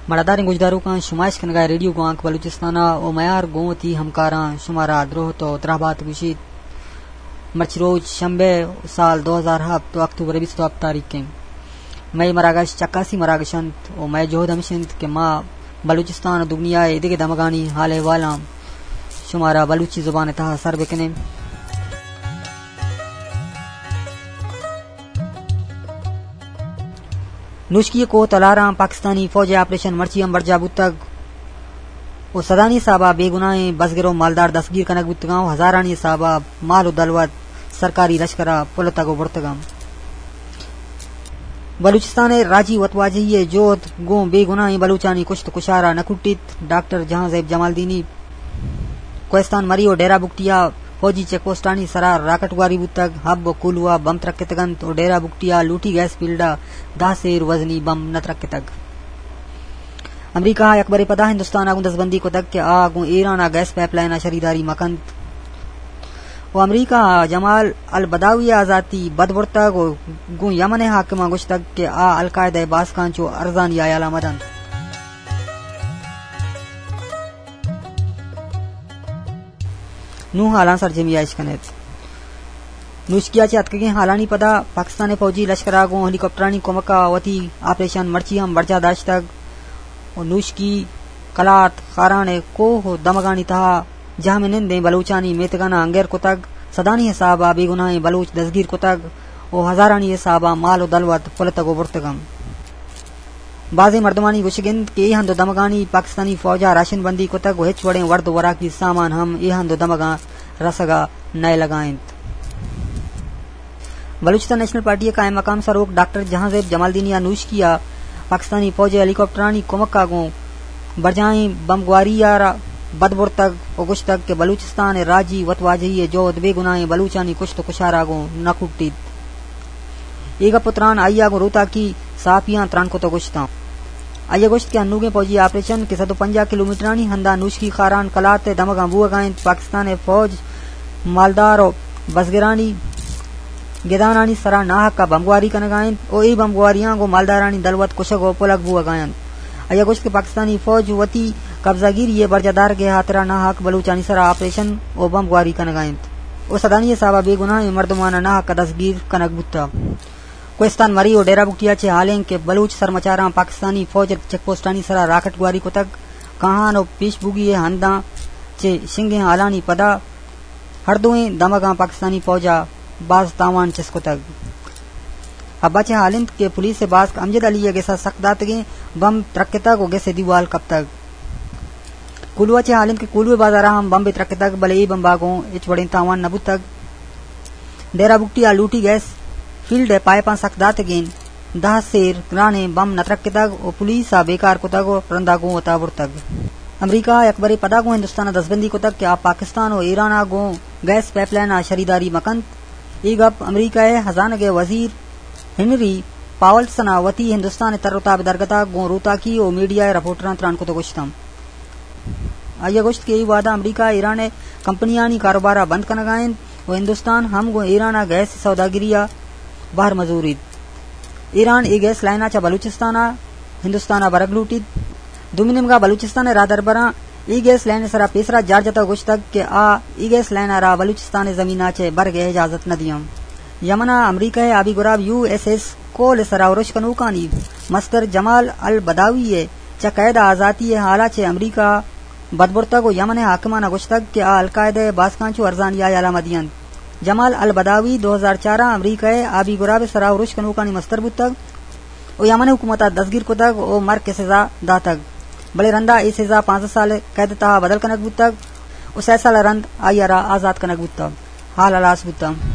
مڑاداریں گوشداروکاں، شما اشکنگا ریڈیو گوانک بلوچستان ءَ ءُ میار گوں وتی ہمکاراں شمارا دروہت ءُ درہبات گوشیت۔ مرچی روچ شنبہ، سال دو ہزار ہپت ءُ اکتوبر بیست ءُ ہپت تاریخ ایں۔ مئے مراگش چکاسی مراگش انت ءُ مئے جہد ہمیش انت کہ ما بلوچستان ءُ دگنیا ءِ ایدگہ دمگانی حال احوالاں شمارا بلوچی زبان ءِ تہا سر بکنیں۔ نوشکی ءِ کوہ تلاراں پاکستانی فوج ءِ آپریشن مرچی ہم برجاہ بوتگ ءُ سدانی حساب ءَ بے گناہیں بزگر ءُ مالدار دستگیر کنگ بوتگاں ءُ ہزارانی حساب ءَ مال ءُ دلوت سرکاری لشکر ءَ پلتگ ءُ برتگ انت۔ بلوچستان ءِ راجی وتواجہی ءِ جہد گوں بے گناہیں بلوچانی کشت ءُ کشار ءَ نہ کٹیت۔ ڈاکٹر جہانزیب جمالدینی کوہستان مری ءُ ڈیرہ بگٹی ءَ فوجی چیک پوسٹانی سرا راکٹ گواری بوتگ، ہب ءُ کولواہ بم ترکتگ انت ءُ ڈیرہ بگٹی ءَ لوٹی گیس فیلڈ ءَ دہ سیر وزنی بم نہ ترکتگ۔ امریکہ ءَ یکبرے پدا ہندوستان ءَ گوں دزبندی کتگ کہ آ گوں ایران ءَ گیس پائپ لائن ءَ شریداری مہ کنت ءُ امریکہ ءَ جمال البداوی ءِ آزاتی بد برتگ ءُ گوں یمن ءِ حاکماں گوشتگ کہ آ القاعدہ ءِ باسکاں چو ارزانی ہیالاں مہ دنت۔ نوں حالاں سرجمی ءَ اش کن ات۔ نوشکی ءَ چہ اتکگیں حالانی پدا پاکستان ءِ فوجی لشکر ءَ گوں ہیلی کاپٹرانی کمک ءَ وتی آپریشن مرچی ہم برجاہ داشتگ ءُ نوشکی، کلات، خاران ءِ کوہ ءُ دمگانی تہا جہمنندیں بلوچانی میتگاناں انگر کتگ، سدانی حساب ءَ بے گناہیں بلوچ دزگیر کتگ ءُ ہزارانی حساب ءَ مال ءُ دلوت پلتگ ءُ برتگ انت۔ بازیں مردمانی گوشگ انت کہ اے ہند ءُ دمگانی پاکستانی فوج ءَ راشن بندی کتگ ءُ ہچ وڑیں ورد ءُ وراکی سامان ہم اے ہند ءُ دمگاں رسگ ءَ نئیلگ ءَ انت۔ بلوچستان نیشنل پارٹی ءِ قائم مقام سروک ڈاکٹر جہانزیب جمالدینی ءَ نوشکی ءَ پاکستانی فوج ءِ ہیلی کاپٹرانی کمک ءَ گوں برجاہیں بمبگواری ءَ را بد برتگ ءُ گوشتگ کہ بلوچستان ءِ راجی وتواجہی ءِ جہد بے گناہیں بلوچانی کشت ءُ کشار ءَ گوں نہ کٹیت۔ اے گپ ءُ تران آئی ءَ گوں روتاکی صحافیاں تران کت ءُ گوشتاں۔ آئی ءَ گوشت کہ انوگیں فوجی آپریشن کہ صد ءُ پنجاہ کلومیٹرانی ہندا نوشکی خاران کلات ءِ دمگاں بوہگ ءَ انت، پاکستان ءِ فوج مالدار ءُ بزگرانی گدانانی سرا ناحق ءَ بمبگواری کنگ ءَ انت ءُ اے بمبگواریاں گوں مالدارانی دلوت کشگ ءُ پلگ بوہگ ءَ انت۔ آئی ءَ گوشت کہ پاکستانی فوج وتی قبضہ گیری ءِ برجاہ دارگ ءِ ہاترا ناحق بلوچانی سرا آپریشن ءُ بمبگواری کنگ ءَ انت ءُ سدانی حساب ءَ بے گناہیں مردماناں ناحق ءَ دستگیر کنگ بوتگ۔ کوہستان مری ءُ ڈیرہ بگٹی ءَ چہ حال انت کہ بلوچ سرمچاراں پاکستانی فوج ءِ چیک پوسٹانی سرا راکٹ گواری کتگ۔ کاہان ءُ پیش بوگی ءِ ہنداں چہ شنگیں حالانی پدا ہر دوئیں دمگاں پاکستانی فوج ءَ باز تاوان چست کتگ۔ حب ءَ چہ حال انت کہ پولیس ءِ باسک امجد علی ءِ گس ءَ سک داتگیں بمب ترکتگ ءُ گس ءِ دیوال کپتگ۔ کولواہ ءَ چہ حال انت کہ کولواہ ءِ بازار ءَ ہم بمبے ترکتگ، بلے اے بمب ءَ گوں ہچ وڑیں تاوان نہ بوتگ۔ ڈیرہ بگٹی ءَ لوٹی گیس فیلڈ ءِ پائپاں سک داتگیں دہ سیر گرانیں بمب نہ ترکتگ ءُ پولیس ءَ بیکار کتگ ءُ رندا گوں وتا برتگ۔ امریکہ ءَ یکبرے پدا گوں ہندوستان ءَ دزبندی کتگ کہ آ پاکستان ءُ ایران ءَ گوں گیس پائپ لائن ءَ شریداری مہ کنت۔ اے گپ امریکہ ءِ ہزانگ ءِ وزیر ہنری پاولسن ءَ وتی ہندوستان ءِ تر ءُ تاب ءِ درگت ءَ گوں روتاکی ءُ میڈیا ءِ رپورٹراں تران کت ءُ گوشتاں۔ آئی ءَ گوشت کہ اے وہد ءَ امریکہ ایران ءِ کمپنیانی کاروبار ءَ بند کنگ ءَ انت ءُ ہندوستان ہم گوں ایران ءَ گیس ءِ سوداگری ءَ بہر مزوریت۔ ایران اے گیس لائن ءَ چہ بلوچستان ءَ ہندوستان ءَ برگ لوٹیت۔ دومی نیمگ ءَ بلوچستان ءِ راہدربراں اے گیس لائن ءِ سرا پیسرا جار جتگ ءُ گوشتگ کہ آ اے گیس لائن ءَ را بلوچستان ءِ زمین ءَ چہ برگ ءِ اجازت نہ دیاں۔ یمن ءَ امریکہ ءِ آبی گراب یو ایس ایس کول ءِ سرا ارش کنوکانی مستر جمال البداوی ءِ چہ قید ءَ آزاتی ءِ حال ءَ چہ امریکہ بد برتگ ءُ یمن ءِ حاکماناں گوشتگ کہ آ القاعدہ ءِ باسکاں چو ارزانی ہیال ءَ مہ دیاں۔ جمال البداوی دو ہزار چار ءَ امریکہ ءِ آبی گراب ءِ سرا ارش کنوکانی مستر بوتگ ءُ یمن ءِ حکومت ءَ دزگیر کتگ ءُ مرگ ءِ سزا داتگ، بلے رندا اے سزا پانزدہ سال ءِ قید ءِ تہا بدل کنگ بوتگ ءُ سئے سال ءَ رند آئی ءَ را آزات کنگ بوتگ۔ حال ہلاس بوتگ۔